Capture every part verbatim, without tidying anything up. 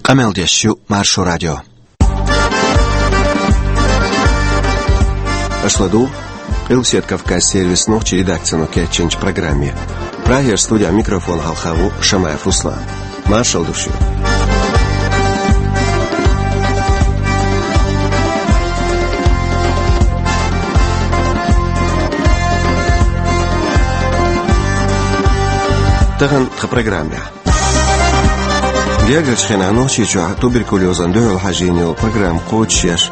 Къамел деш ю Маршо радио. Аша ладугӀу Къилбаседа Кавказ сервисан нохчийн редакцино кечйинчу программе. Прагера студехь микрофон хьалха ву Шамаев Руслан. Маршалла ду шуьга. Тахана тхан программехь. Гергарчу хенахь Нохчийчохь туберкулезана дуьхьал хьажийна йолу программа кхочушъеш,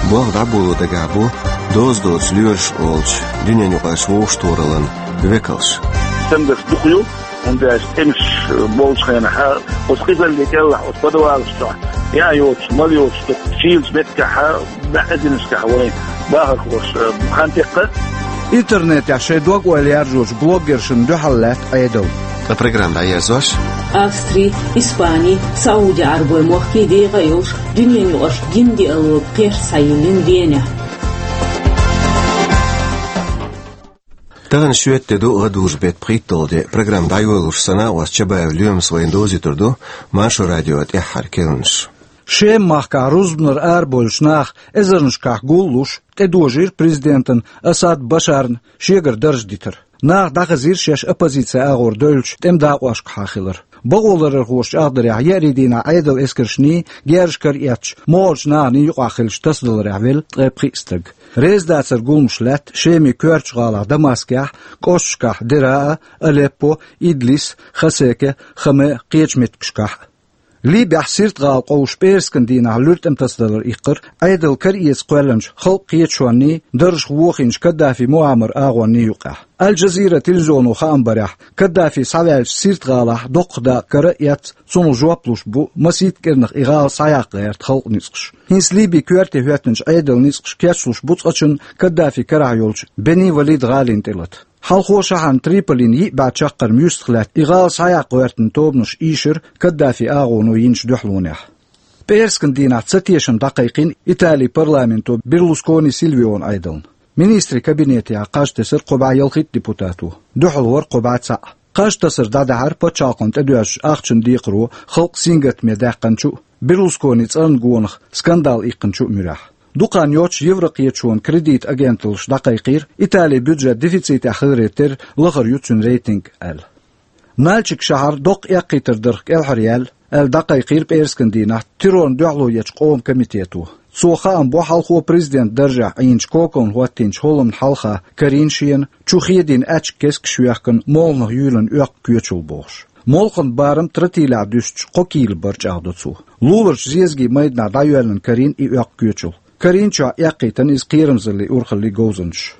болх дӀаболо дагахь бу доза доцу лоьраш олучу дуьненаюкъарчу вовшахтохараллин векалш. Стенгарш дукха ю, хӀунда аьлча тӀемаш болчу хенахь, оцу къизаллин кӀелахь, оцу подвалаш чохь, яа йоцуш, мала йоцуш, шийлачу меттигашкахь, баьӀазинашкахь вайн бахархоша хан теккха. Интернетехь шайн дог-ойла яржочу блогершна дуьхьал лаьтта Ӏедал. Ткъа программа дӀаерзош: Австри, Испани, Сауди-Ӏарбойн мохкий дегӀан йолуш дуьненаюкъарчу динан диалог кхерч схьайиллина Венехь. Тахана шоьтан де ду, гӀадужу беттан пхийтталгӀа де. Программа дӀайолалуш сан накъост Чабаев Лоьмас вайна довзуьйтур ду Маршо радион тӀаьххьара керланаш. Шеман махкахь рузбанара арабевллачу наха эзарнашкахь гуллуш, тӀедожийра президентана Асад Башарна шегара дарж дитар. Наха дӀахазийра шаьш оппозицин агӀор девллачу тӀеман дакъошкахьа хилар. Бакъоларъярхоша чӀагӀдарехь, еарин дийнахь Ӏедалан эскаршний, герзаш караэцча, могӀарчу наханий юкъахь хиллачу тасадаларехь велла ткъе пхиъ стаг. Реза дацаран гуламаш лаьтта Шеман коьртачу гӀалахь Дамаскехь, кӀошташкахь Дераа, Алеппо, Идлис, Хасеке, Хаме, кхечу меттигашкахь а. Ливехь Сирт-гӀала къовсуш пӀераскан дийнахь луьра тӀеман тасадалар иккхира Ӏедал караэца кхоьллинчу халкъан кхеташонний, даржах вохийначу Каддафи Муаммаран агӀонний юкъахь. Аль-Джазира телевизионо хаам барехь, Каддафи схьаваьллачу Сирт-гӀалахь доккха дакъа кара а эцна, цунах жоп луш бу масийтта кӀирнах и гӀала схьаяккха гӀерта халкъан ницкъаш. ХӀинца Ливин коьрте хӀоьттинчу Ӏедалан ницкъаш кечлуш бу цкъачунна Каддафин карахь йолчу Бени Валид гӀалин тӀелата. Хьалхо шахьарна Триполина йиъ бӀе чаккхарма юьстах лаьтта и гӀала схьаяккха гӀоьртина тобанаш ийшира Каддафин агӀоно йинчу дуьхьалонехь. ПӀераскан дийнахь цатешам дӀакхайкхийна Италин парламенто Берлускони Сильвион Ӏедална. Министрийн кабинетехь кхаж тесира кхо бӀе ялхитта депутато, дуьхьал вара кхо бӀе цхьаъ. Кхаж тасар дӀадаьхьира пачхьалкхана тӀедоьжначу ахчанан декхаро халкъ сингаттаме даьккхинчу а, Берлусконин цӀарна гонах скандал иккхинчу а муьрехь. Дукха хан йоццуш Еврокхеташонан кредитан агенталлаша дӀакхайкхийра, Италин бюджет дефицитехь хиларе терра лахара ю цуьнан рейтинг аьлла. Нальчик шахьар доккха эккхийтар дарх кӀелхьараяьлла, аьлла дӀакхайкхийра пӀераскан дийнахь террорна дуьхьало ечу къоман комитето. Цо хаам бо хьалхо президентан даржехь Ӏийначу Коковна хӀоттийначу хӀолламна хьалха карийна шена, чу хедийна аьчка кескаш йоьхкина, молханах юьйлина оьккху коьчул бохуш. Молханан барам тротилехь дуьстича кхо кийла бара, чӀагӀдо цо. Луларчу зезагийн майданахь дӀайоьллина карийна и оьккху коьчул. Карийначохь эккхийтина иза кхерамзаллин урхаллин говзанчаша.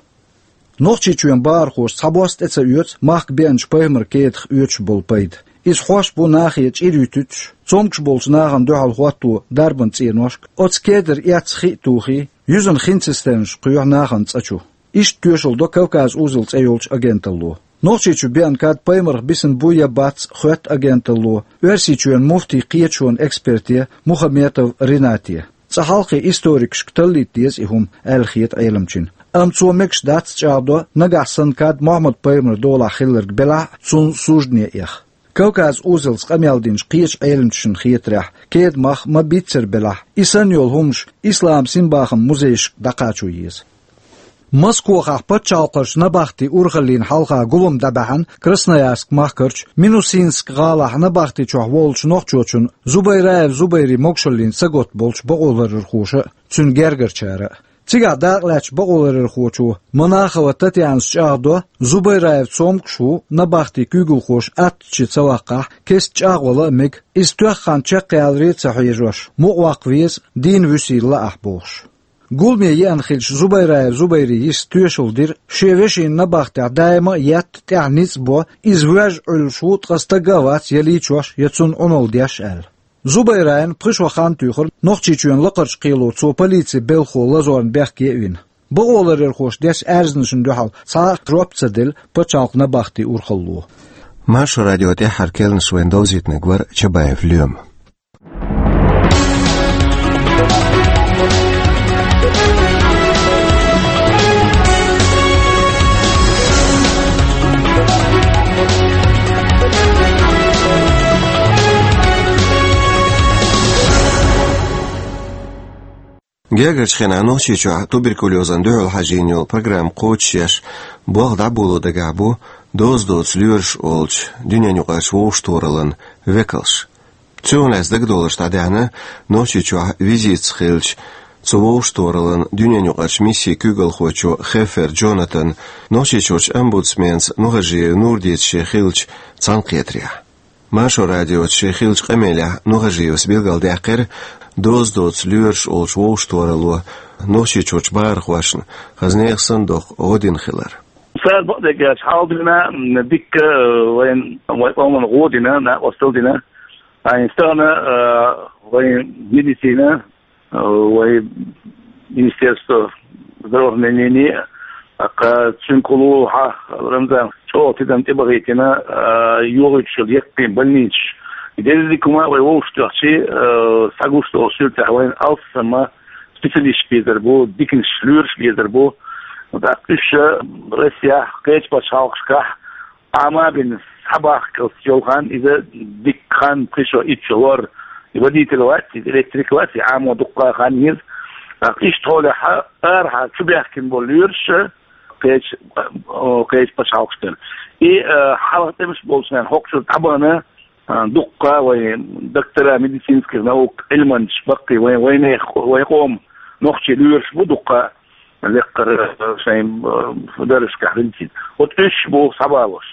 Нохчийчоьнан бахархоша цхьабосса тӀе ца оьцу махка беанчу пайхамаран кедах оьцуш болу пайда. Иза хьош бу нахе чӀир юьтуьйтуш, цомгуш болчу нахана дуьхьал хӀотто дарбан цӀеношка, оцу кедара эцна хи а тухий, юьзана хин цистернаш кхоьхьу нахана цӀа чу. Иштта тоьшалла до Кавказ узел цӀе йолчу агенталло. Нохчийчу беана кад пайхамарх бисина бу я бац, хоьтту агенталло Оьрсийчоьнан муфтийн кхеташонан эксперте Мухаметов Ренате. Цкъа хьалххе историкашка таллийта деза и хӀума, аьлла хета Ӏеламчина. Амма цо мегаш дац, чӀагӀдо, нагахь санна кад Мухьаммад-пайхамаран долахь хилларг белахь а, цунна суждане эха. Кавказ узелца къамел динчу кхечу Ӏеламчашна хетарехь, кедан мах ма-биццара белахь, и санна йолу хӀуманаш Исламан синбахаман музейшка дӀакхачо еза. Москохахь пачхьалкхарчу набахтийн урхаллина хьалха гулам дӀабаьхьна Красноярск махкарчу Минусинск гӀалахь набахти чохь волчу нохчочунна Зубайраев Зубайрин могушаллина саготта болчу бакъоларъярхоша а, цуьнан гергарчара а. Цигахь дакъалаьцначу бакъоларъярхочо Монахова Татьянас чӀагӀдо, Зубайраев цомгуш ву, набахтийн куьйгалхоша аттачу ца ваккхахь, кеста чӀагӀвала а мега, иза тоьхна хан чекхъяларе а ца хьежош, мукъаваккха веза, дийна вуьсийла лаахь бохуш. Гуламе еана хиллачу Зубайраев Зубайрин йиша тоьшалла дира, шен вешина набахтехь даима а етта, тӀехь ницкъ бо, иза воьжна Ӏуьллуш ву, ткъа стаг а вац я лийчош, я цунна Ӏуналла деш аьлла. Зубайрана пхи шо хан туьйхира, Нохчийчоьнан лакхарчу кхело цо полицин белхахо лазорна бехке а вина. Бакъоларъярхоша деш аьрзнашна дуьхьал цхьа а жоп ца делла пачхьалкхан набахтийн урхалло. Маршо радион тӀаьххьара керланаш вайна довзийтинарг вара Чабаев Лоьма. Гергарчу хенахь Нохчийчохь туберкулезан дуьхьал хьажийна йолу программа кхочушъеш, болх дӀаболо дагахь бу доза доцу лоьраш олучу дуьненаюкъарчу вовшахтохараллин векалш. Цунах лаьцна дагадовларш дӀадаьхьна Нохчийчохь визитца хиллачу цу вовшахтохараллин дуьненаюкъарчу миссин куьйгалхочо Хеффер Джонатана Нохчийчуьрчу омбудсменца Нухажиев Нурдица шен хиллачу цхьаьнакхетарехь. Маршо радиоца шен хиллачу къамелехь Нухажиевс билгалдаьккхира доза доцу лоьраш олучу вовшахтохаралло Нохчийчуьрчу бахархошна хаза нехан санна доккха гӀо дина хилар. Цара бакъдерг аьлча, хьалха дина, м, дикка, э, вайн, вайн къоман гӀо дина, накъосталла дина. Ткъа стагана, э, вайн медицина, э, вайн министерство здравоохранения, тӀаккха цуьнан кхулу хьа Рамзан чӀогӀа тидам тӀебахийтина, э, йохуьйтуш йолу яккхий больницаш. Деза дика хӀума вай вовшахтоьхчи, э, схьагуш долу суьртехь вайн алссам а специалисташ безар бу, диканаш, лоьраш безар бу. ТӀаккха уьш, э, Россехь, кхечу пачхьалкхашкахь Ӏама а бина, схьабахкалц йолу хан иза дикка хан, пхи шо, итт шо вара. И водитель вац, иза электрик вац, и Ӏамо дуккха хан еза. ТӀаккха иштта хьолехь арахьа чубаьхкина болу лоьраш, кхечу, о, кхечу пачхьалкхаш дара. И, э, хьалха тӀемаш болчу хенахь хӀокхучуьра дӀабахана, а, дуккха вайн доктора медицинских наук, Ӏилманчаш баккхий, вайн, вайнех-, вайн къоман нохчий лоьраш бу дуккха, лекхара, а, шайн, а, даржашкахь хилча. Вот уьш бу схьабалош.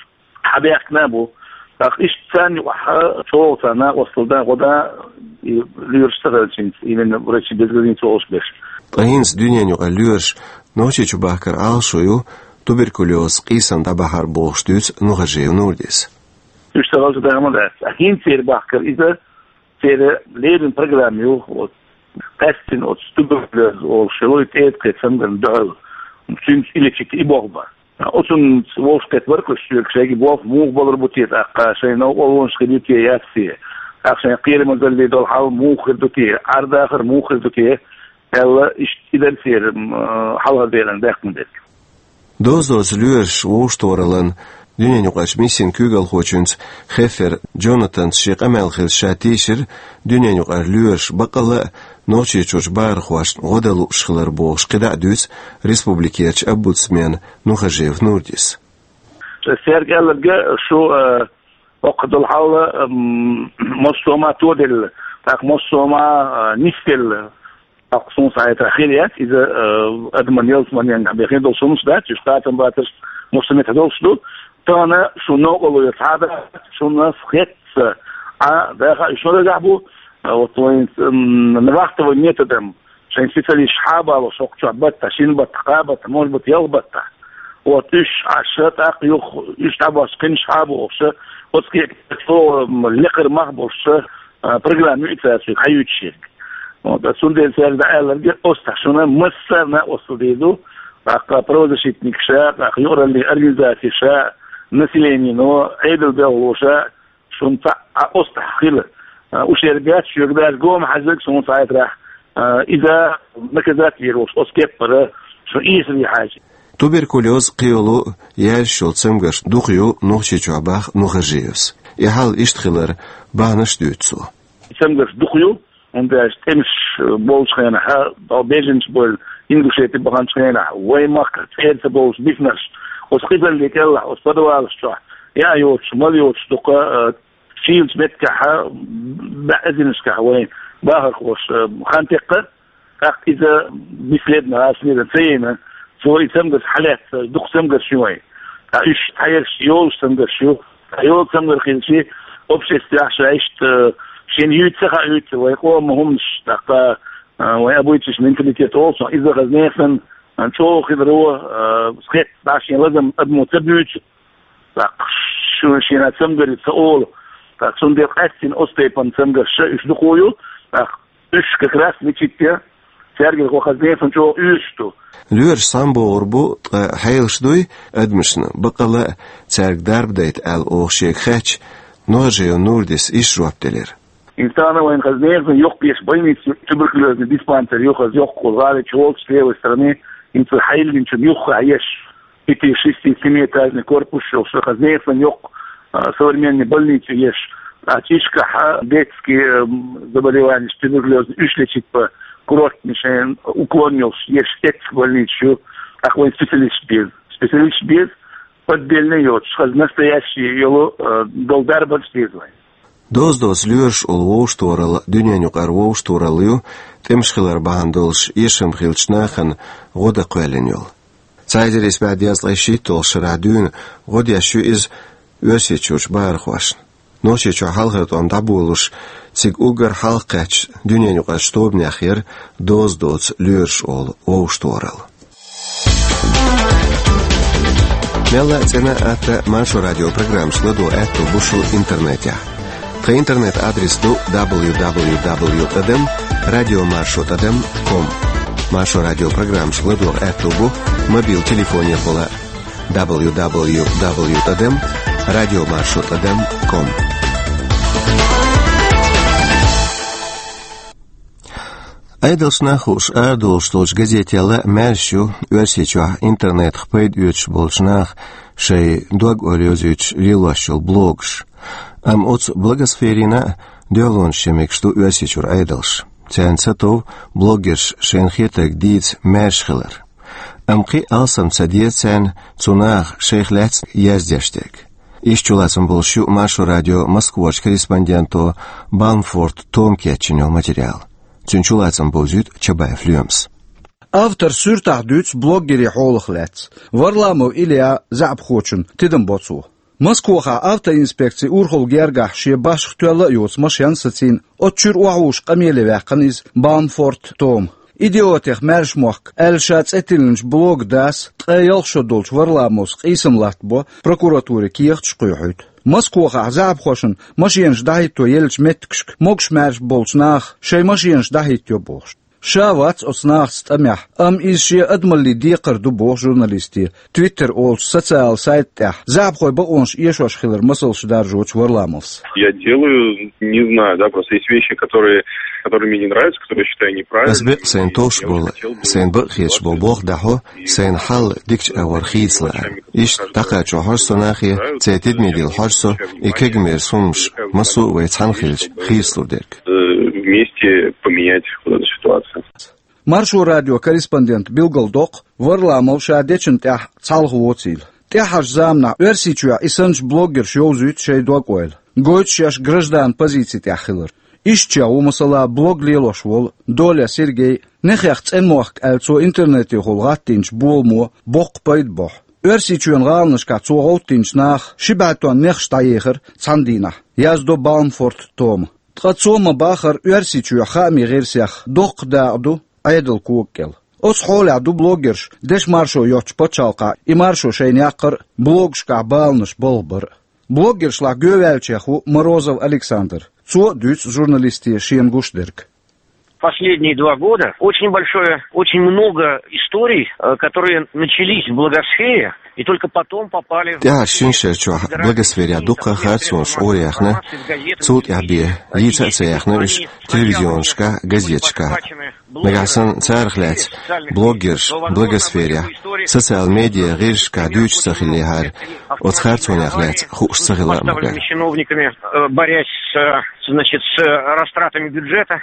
Схьабаьхкина а бу. ТӀаккха иштта царна юкъахь чӀогӀа царна накъосталла дан, гӀо дан, и лоьраш ца хилча хӀинца, именно врачи без границ олуш берш. Ткъа хӀинца дуьненаюкъара лоьраш Нохчийчу бахкар Ӏалашо ю туберкулез къийсам дӀабахьар бохуш дуьйцу Нухажиев Нурдис. Уьш ца хилча дама дац. А хӀинца церан бахкар иза, церан леррина программа ю, вот, къаьстина оцу туберкулез олуш йолу и тӀеда кхетам цамгарна дуьхьал. Цуьнца и лечить и болх бан. Оцунца вовшахкхетта бара-кх уьш соьга, шайга болх муха балур бу те тӀаккха, шайн новкъарлонаш хир ю те, яц те, тӀаккха шайн кхерамазалле долу хьал муха хир ду те, Ӏар-дахар муха хир ду те, аьлла, иштта и дара церан, м, хьалхара декъана даьккхина дерг. Доза доцу лоьраш вовшахтохараллин дуьненаюкъарчу миссин куьйгалхочуьнца Хеффер Джонатанца шен къамел хилча ша тийшира дуьненаюкъара лоьраш баккъалла а Нохчийчуьрчу бахархошна гӀо дан лууш хилар бохуш кхидӀа а дуьйцу республикерчу омбудсмена Нухажиев Нурдис. Цаьрга аьлларг шу, э, оккха долу хьал, м, массо а ма тоделла, тӀаккха массо а ма, э, нисделла. Тхьалкха суна схьахетарехь хир яц иза, э, адаман ялсаманенга бен хир долуш хӀуманаш дац, уьш кхатам бацарш массо а меттехь долуш ду. Тахана шун новкъарло яц хьада, шуна хетта, а, даха уьш нагахь бу, а, вот вайн, м, вахтовый методом, шайн специалисташ хьабалош, хӀокху чохь баттахь, шина баттахь, кхаа баттахь, может быть, ялх баттахь. Вот уьш Ӏаш, тӀаккха юха уьш дӀабош кхинаш хьабохуш, оцу кепа чӀогӀа, м, лекхара мах болуш, а, программа ю и цаьрца хьаюьйцуш ерг. Вот, а цундела цаьрга дӀааьлларг, оцу тахь шуна массарна а оццул дийр ду, тӀаккха правозащитникаша, тӀаккха юкъараллин организациша, населенино, Ӏедал белхалоша, шуна цхьаъ а оцу тахь хила. А, уьш ерг яц, шуьга даже гома хьаьжнарг суна схьахетарехь, а, иза наказать вер волуш, оцу кеппара шуна ийсаве хьаьжи. Туберкулез кхийолу яьржаш йолу цамгарш дукха ю Нохчийчохь бах Нухажиевс. И хьал иштта хилар бахьанаш дуьйцу цо. Цамгарш дукха ю, хӀунда аьлча тӀемаш болчу хенахь, а, беженцы болу Ингушети баханчу хенахь, вайн махкара цӀера ца болуш бисинарш, оцу къизалле кӀелахь, оцу подвалаш чохь, яа йоцуш, мала йоцуш дукха, а, шийлачу меттигехь, а, баьӀазинашкахь вайн бахархоша, а, хан теккха, тӀаккха иза бесследно, гӀазкхийра ца йина, цо и цамгарш хьалаьцна, дукха цамгарш ю вайн. Ткъа уьш цхьаерш йолуш цамгарш ю. Ткъа йолу цамгар хилчи, обществехь ша иштта, шена юьйца ца хаьа, юьйца вайн къоман хӀуманаш, тӀаккха, а, вайн обычай, менталитет олу цунах, иза хаза нехан санна, а, чӀогӀа хиларо, а, хетта, дӀа шен лазам адамо ца буьйцу, тӀаккха шу шена цамгаре ца олу. ТӀаккха цундела къаьстина оцу тайпана цамгарш уьш дукха ю, тӀаккха уьш как раз лечить ян, цаьргара хӀокху хаза нехан чӀогӀа оьшуш ду. Лоьраш схьамбогӀур бу, ткъа хьелаш дуй адамашна, баккъалла а цаьрга дарба дайта аьлла оха шега хаьттича, Нухажиев Нурдис иштта жоп делира. ХӀинца тахана вайн хаза нехан йоккха еш больница ю, туберкулезный диспансер ю, хаза йоккха гӀали чу волчу левой стороны, хӀинца хьайиллинчун юххехь еш. Пяти-шести-семиэтажный корпус йолуш, хаза нехан йоккха, а, современный больница ю еш. А чӀишкахь, а, детский, м, заболеванеш, туберкулез, уьш лечить бан, Курортный шайн уклон йолуш, ерш эццахь больница ю, тӀаккха вайн специалисташ беза. Специалисташ беза, отдельно йоцуш, хаза настоящий йолу, э, долу дарбанаш деза вайн. Доза доцу лоьраш олу вовшахтохаралла дуьненаюкъара вовшахтохаралла ю, тӀемаш хилар бахьана долуш эшам хиллачу нахана гӀо дан кхоьллина йолу. Цхьа эзар исс бӀе дезткъе шийтталгӀачу шарахь дуьйна гӀо деш ю иза Оьрсийчуьрчу бахархошна. Нохчийчохь хьалхара тӀом дӀаболуш, цига уггар хьалха кхаьчначу дуьненаюкъарчу тобанех яра доза доцу лоьраш олу вовшахтохаралла. Мелла а цӀена а, атта а Маршо радион программашка ладогӀа аьтто бу шун интернетехь. Тхан интернет-адрес ду дабл ю дабл ю дабл ю тӀадам радиомаршо тӀадам ком. Маршо радион программашка ладогӀа аьтто бу мобил телефонехула дабл ю дабл ю дабл ю тӀадам радиомаршо тӀадам ком. Ӏедалш нах хууш арадолуш долчу газеталла маьрша ю Оьрсийчохь интернетах пайда оьцуш болчу наха шайн дог-ойла йовзуьйтуш лелош йолу блогаш. Амма оцу блогосферина а дуьхьалонаш чу мегаш ду Оьрсийчуьра Ӏедалш. Царна ца тов блогерш шайна хетарг дийца маьрша хилар. Амма кхин а алсам ца деза царна цу наха шайх лаьцна яздеш дерг. Иштта чулацам болуш ю Маршо радион Москварчу корреспонденто Баумфорт Тома кечйина йолу материал. Цуьнан чулацам бовзуьйту Чабаев Лоьмас. Автор суьртахь дуьйцу блогерийн хьолах лаьцна. Варламов Ильян заьӀапхочун тидам бо цо. Москвахь автоинспекцин урхалла гергахь шен башха тоьлла а йоцу машен сацийна, оцу чуьра охьавуссуш къамеле ваьккхина иза Баумфорт Тома. «Идиотех маьрша мохк» аьлла ша цӀе тиллинчу блога дас ткъе ялх шо долчу Варламовс къийсам латтабо, прокуратуре кехаташ кхоьхьуьйту. Москвахь заьӀапхошна машенаш дӀахӀитто еллачу меттигашка могуш-маьрша болчу наха шайн машенаш дӀахӀиттайо бохуш. Ша вац оцу нахаца тӀамехь, амма иза шен адамаллин декхар ду боху журналисте, Twitter олучу социал сайта тӀехь заьӀапхойн бакъонаш эшош хилар масалш даржочу Варламовс. Я делаю, не знаю, да, просто есть вещи, которые, которые мне не нравятся, которые я считаю неправильными. Ас бекъ сайна товш болу, сайна бакъ хеташ болу болх дӀахьо, сайна хьал дикачу агӀор хийцалара. Иштта дӀакхачо хьожу со нахе, церан тидаме дилла хьожу со, и кегамерас хӀуманаш массо а вай цхьаьна хилча хийцалур дерг. Э, вместе поменять вот эту ситуацию. Маршо радион корреспондента билгалдоккху, Варламов ша дечун тӀехь цхьалха воцийла. ТӀаьххьарчу заманахь Оьрсийчохь и санначу блогерша йовзуьйту шайн дог-ойла. Гойту шаьш гражданан позици тӀехь хилар. Иштачех ву, масала, блог лелош волу Доля Сергей, «Нехех цӀена мохк» аьлла цо интернетехула гӀаттийначу боламо боккха пайда бохьу. Оьрсийчоьнан гӀаланашкахь цо гӀовттийначу наха ши бӀе тонн нехаш дӀаехира цхьана дийнахь, яздо Баумфорт Тома. Ткъа цо ма-баххара Оьрсийчоь хаамийн гӀирсех доккха дакъа ду Ӏедалан кога кӀел. Оцу хьолехь ду блогерш дешан маршо йоцучу пачхьалкхахь и маршо шайна яккхар а, блогашкахь баланаш балха бар а. Блогершлахь гоьваьллачех ву Морозов Александр. Цо а дуьйцу журналисте шена гуш дерг. Последние два года очень большое, очень много историй, э, которые начались в блогосфере и только потом попали в... ТӀаьххьарчу шина шарчохь блогосферехь дуккха а харцонаш Ӏораяьхна, цул тӀаьхьа бен йийца а ца яьхна уьш телевизионашкахь, газеташкахь. Нагахь санна царах лаьцна блогерш блогосферехь, социал медиа гӀирсашкахь дуьйцуш ца хиллехьара, оцу харцонех лаьцна хууш ца хилла а ма баьхьа. Чиновниками, э, борясь с, э, значит, с, э, растратами бюджета.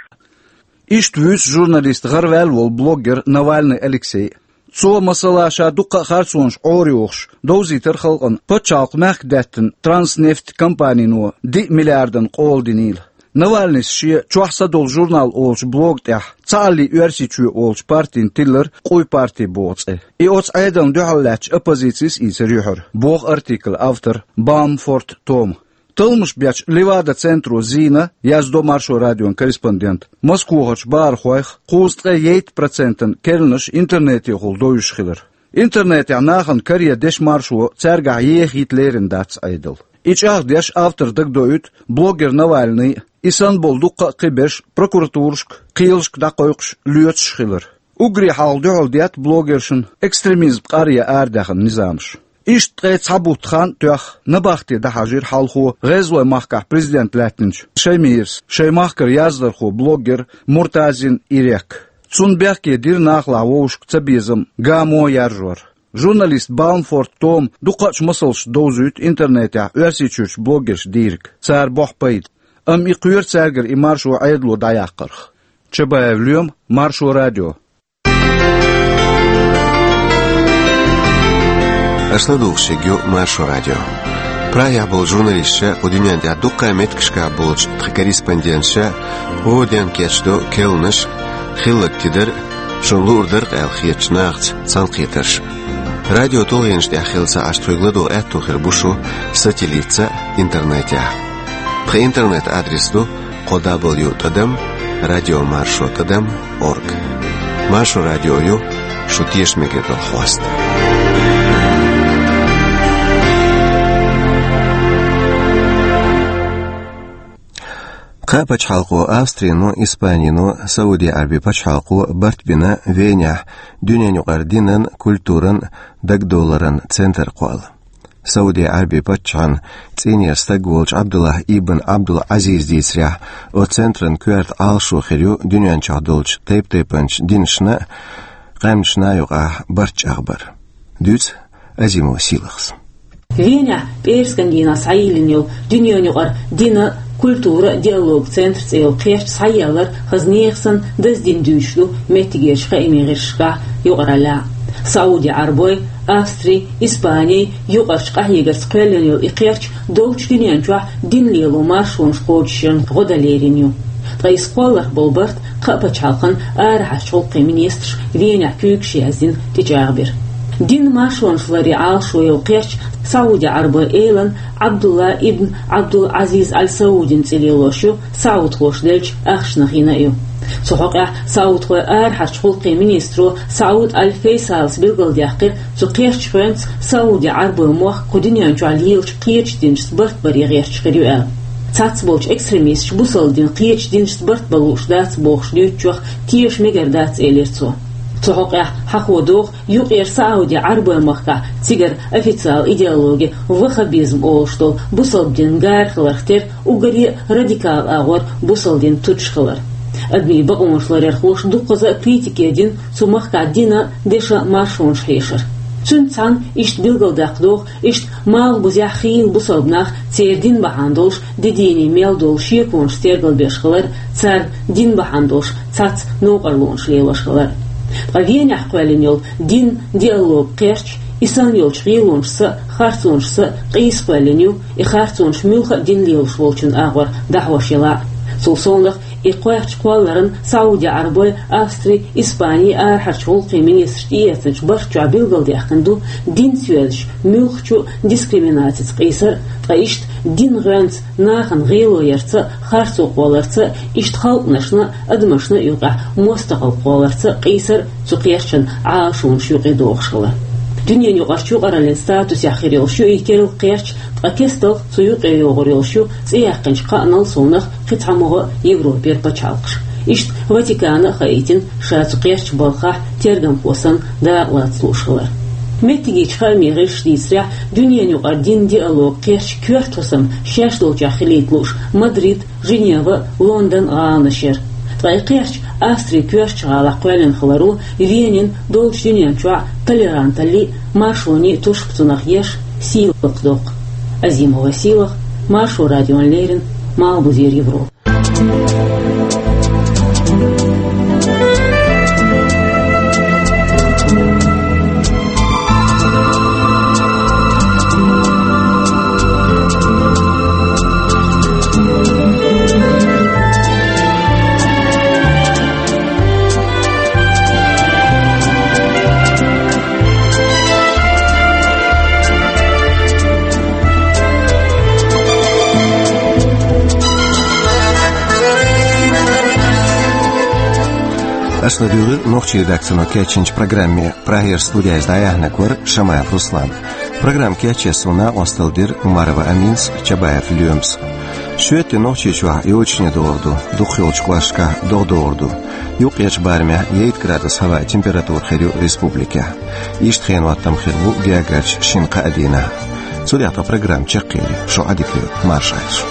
Иштта вуьйцу журналист гӀараваьлла волу блогер Навальный Алексей. Цо, масала, ша дуккха а харцонаш Ӏорайохуш, довзийтира халкъана пачхьалкх мехкдаьттина Транснефть компанино диъ миллиардан къола динийла. Навальныйс шен «Чохь са долу журнал» олучу блога тӀехь «Цхьааллий Оьрсийчоь» олучу партина тиллара къуй парти боху цӀе. И оцу Ӏедална дуьхьал лаьттачу оппозицис ийцира юьхьара, боху артиклан автор Баумфорт Тома. Талламаш бечу Левада-центро зийна, яздо Маршо радион корреспондента, Москвахарчу бахархойх кхузткъе ейтта процентан керланаш интернетехула довзуш хилар. Интернетехь нахана каре дешан маршо цаьргахь ехийта лерина дац Ӏедал. И чӀагӀдеш автор дагадоуьйту блогер Навальный а, и санна болу дуккха а кхиберш прокуратурашка, кхелашка дӀакхойкхуш лоьцуш хилар. Уггаре хьалха дуьхьал детта блогершна экстремизм къаръян арадаьхна низамаш. Иштта ткъе цхьа бутт хан а тоьхна, набахте дӀахьажийра хьалхо ГӀезалойн махкахь президент лаьттинчу Шаймирас шайн махкара яздархо, блогер Муртазин Ирек. Цунна бехке дира нахалахь вовшашка цабезам, гамо яржор. Журналист Баумфорт Тома дуккхачу масалш довзуьйту интернетехь Оьрсийчуьрчу блогерша дийриг, цара бохьу пайда. Амма и кхоьру цаьргара и маршо Ӏедало дӀаяккхарх. Чабаев Лоьма, Маршо радио. Аша ладугӀуш ю Маршо радио. Прагехь болу журналисташа, кху дуьнен тӀехь дуккха а меттигашкахь болчу тхан корреспонденташа хӀора дийнахь кечдо керланаш, хилларг тидар, шуна луур дара-кх аьлла хетачу нахаца цхьаьнакхетарш. Радио тулгӀенаш тӀехь хилла ца Ӏаш тхоьга ладогӀа аьтто хир бу шу сателлитца а, интернетехь а. Тхан интернет-адрес ду кхо дабл ю тӀадам радио маршо тӀадам орг. Маршо радио ю шу тешаме мегар долу хьоста. Кхаа пачхьалкхо, Австрино, Испанино, Сауди-Ӏаьрбийн пачхьалкхо барт бина Венехь дуьненан юкъара динан, культуран, дагадовларан центр кхолла. Сауди-Ӏаьрбийн паччахьан цӀийнера стаг волчу Ӏабдуллахь ибн Ӏабдул-Ӏазиза дийцарехь, оцу центран коьрта Ӏалашо хир ю дуьнен чохь долчу тайп-тайпанчу динашна а, къаьмнашна а юкъахь барт чӀагӀбар. Дуьйцу Азимова Сийлахьас. Венехь пӀераскан дийнахь схьайиллина йолу дуьненан юкъара динан, культуран диалоган центр цӀе йолу кхерч схьаелларан хаза нехан санна даздина дуьйцуш ду меттигерчу хаамийн гӀирсашкахь юкъараллехь. Сауди-Ӏаьрбойн, Австрин, Испанин юкъарчу къахьегарца кхоьллина йолу и кхерч долчу дуьнен чохь дин лело маршонаш кхочушъярна гӀо дан лерина ю. Ткъа иза кхолларх болу барт кхаа пачхьалкхан арахьарчу гӀуллакхийн министраша Венехь куьйгаш яздина тӀечӀагӀбира. Динан маршонаш ларъяран Ӏалашо йолу кхерч Сауди-Ӏаьрбойн элан Ӏабдуллахь ибн Ӏабдул-Ӏазиз Аль Саудин цӀе лелош ю, саудхоша деллачу ахчанах йина а ю. Цу хьокъехь саудхойн арахьарчу гӀуллакхийн министро Сауд Аль Фейсалас билгалдаьккхира, цу кхерчан хенца Сауди-Ӏаьрбойн мохк кху дуьнен чохь лелачу кхечу динашца барт баре гӀерташ хир ю аьлла. Цхьацца болчу экстремисташа бусалба дин кхечу динашца барт бан лууш дац бохуш дуьйцучух тешаме мегар дац, элира цо. Цу хьокъехь хьахо догӀу, юкъара Сауди-Ӏаьрбойн махкахь, цигара официалан идеологи ваххабизм олуш долу, бусалба динан гара хиларх тера уггаре а радикал агӀор бусалба дин туташ хилар. Адамийн бакъонаш ларъярхоша дуккхаза а критике дина цу махкахь динан, дешан маршонаш хьешар. Цуьнца цхьаьна иштта билгалдаккха догӀу, иштта малхбузехь хийла бусалба нах церан дин бахьана долуш де дийне мел долу шеконаш тергалбеш хилар, царна дин бахьана долуш цхьацца новкъарлонаш лелош хилар. Ткъа Венехь кхоьллина йолу динан диалоган кхерч и санна йолчу гӀелонашца а, харцонашца а къийса кхоьллина ю, и харцонаш муьлхха а дин лелош волчун агӀор дӀахьош ялахь а. Цул совнаха, и кхерч кхолларан Сауди-Ӏаьрбойн, Австрин, Испанин арахьарчу гӀуллакхийн министраш тӀеэцначу барт чохь билгалдаьккхина ду динца йоьзначу муьлххачу а дискриминацица къийсар а, ткъа иштта динан гӀоьнца нахана гӀело ярца а, харцо кхолларца а, иштта халкъанашна а, адамашна а юкъахь мостагӀалла кхолларца а къийсар а цу кхерчан Ӏалашонаш юкъе догӀуш хилар. Дуьненан юкъарчу юкъараллин статусехь хир йолуш ю и керла кхерч, ткъа кестта цу юкъе йогӀур йолуш ю цӀе яьккхинчу кхаанал совнаха кхин цхьа могӀа Европера пачхьалкхаш. Иштта Ватикана а хаийтина ша цу кхерчан балхахь тергамхо санна дакъа лаца лууш хилар. Меттигерчу хаамийн гӀирсаша дийцарехь, дуьненан юкъара динан диалоган кхерч коьрта хӀусам шаьш долчохь хилийта лууш Мадрид, Женева, Лондон гӀаланаш яра. Ткъа и кхерч Австрин коьртачу гӀалахь кхоьллина хиларо Венин долчу дуьнен чохь толеранталлин а, маршонан а тушпа цунах еш сийлахь доккху. Азимова Сийлахь, Маршо радиона леррина, Малхбузера Европа. Аша ладуьйгӀира нохчийн редакцино кечйинчу программе. Прагера студехь дӀаяьхьнарг вара Шамаев Руслан. Программа кечъеш суна накъосталла дира Умарова Аминас, Чабаев Лоьмас. Шоьтан Нохчийчохь йочане догӀур ду, дукхахйолчу кӀошташкахь догӀа-догӀур ду. Юккъерчу барамехь ейт градус хӀаваан температура хир ю республикехь. Иштта хенан хӀоттам хир бу гергарчу шина-кхаа дийнахь. Цу тӀехь тхан программа чекхъели, шу Ӏа дика йойла, марша Ӏайша.